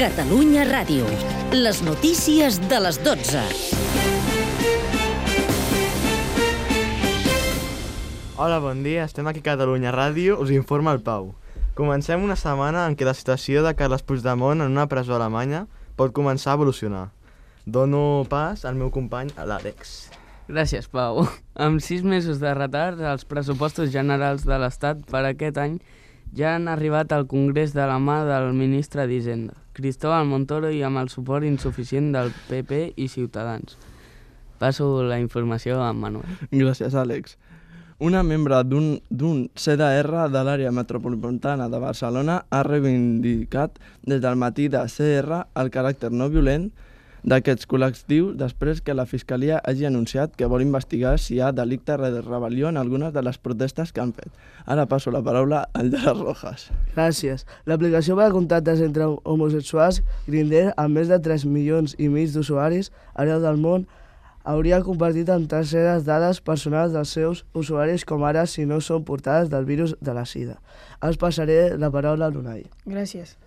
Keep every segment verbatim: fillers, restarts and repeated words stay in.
Catalunya Ràdio. Les notícies de les dotze. Hola, bon dia. Estem aquí a Catalunya Ràdio. Us informa el Pau. Comencem una setmana en què la situació de Carles Puigdemont en una presó alemanya pot començar a evolucionar. Dono pas al meu company, a l'Àlex. Gràcies, Pau. Amb sis mesos de retard, els pressupostos generals de l'Estat per aquest any ja han arribat al Congrés de la mà del ministre d'Hisenda, Cristóbal Montoro, i amb el suport insuficient del P P i Ciutadans. Passo la informació a Manuel. Gràcies, Àlex. Una membre d'un C D R de l'àrea metropolitana de Barcelona ha reivindicat des del matí de C R el caràcter no violent d'aquests col·lectius després que la Fiscalia hagi anunciat que vol investigar si hi ha delicte de rebel·lió en algunes de les protestes que han fet. Ara passo la paraula al de les Rojas. Gràcies. L'aplicació per a contactes entre homosexuals, Grindr, amb més de tres milions i mig d'usuaris arreu del món, hauria compartit amb terceres dades personals dels seus usuaris, com ara si no són portades del virus de la sida. Els passaré la paraula a l'Unai. Gràcies.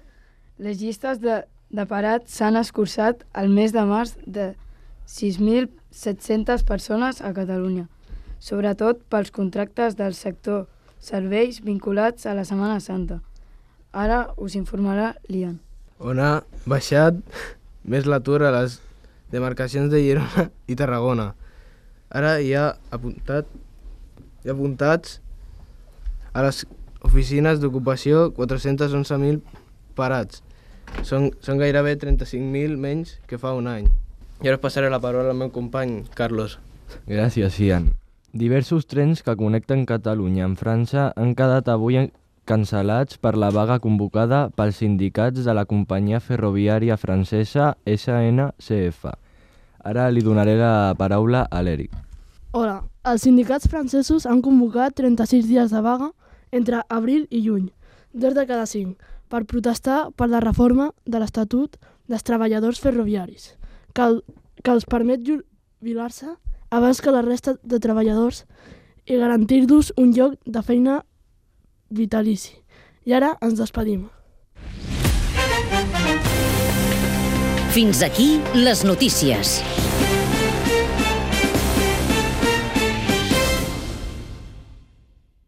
Les llistes de de parats s'han escurçat al mes de març de sis mil set-centes persones a Catalunya, sobretot pels contractes del sector serveis vinculats a la Setmana Santa. Ara us informarà l'Ian. On ha baixat més l'atur a les demarcacions de Girona i Tarragona. Ara hi ha, apuntat, hi ha apuntats a les oficines d'ocupació quatre-cents onze mil parats. Són, són gairebé trenta-cinc mil menys que fa un any. I ara passaré la paraula al meu company, Carlos. Gràcies, Ian. Diversos trens que connecten Catalunya amb França han quedat avui cancel·lats per la vaga convocada pels sindicats de la companyia ferroviària francesa S N C F. Ara li donaré la paraula a l'Eric. Hola. Els sindicats francesos han convocat trenta-sis dies de vaga entre abril i juny, dos de cada cinc, per protestar per la reforma de l'Estatut dels treballadors ferroviaris, que, el, que els permet jubilar-se abans que la resta de treballadors i garantir-los un lloc de feina vitalici. I ara ens despedim. Fins aquí les notícies.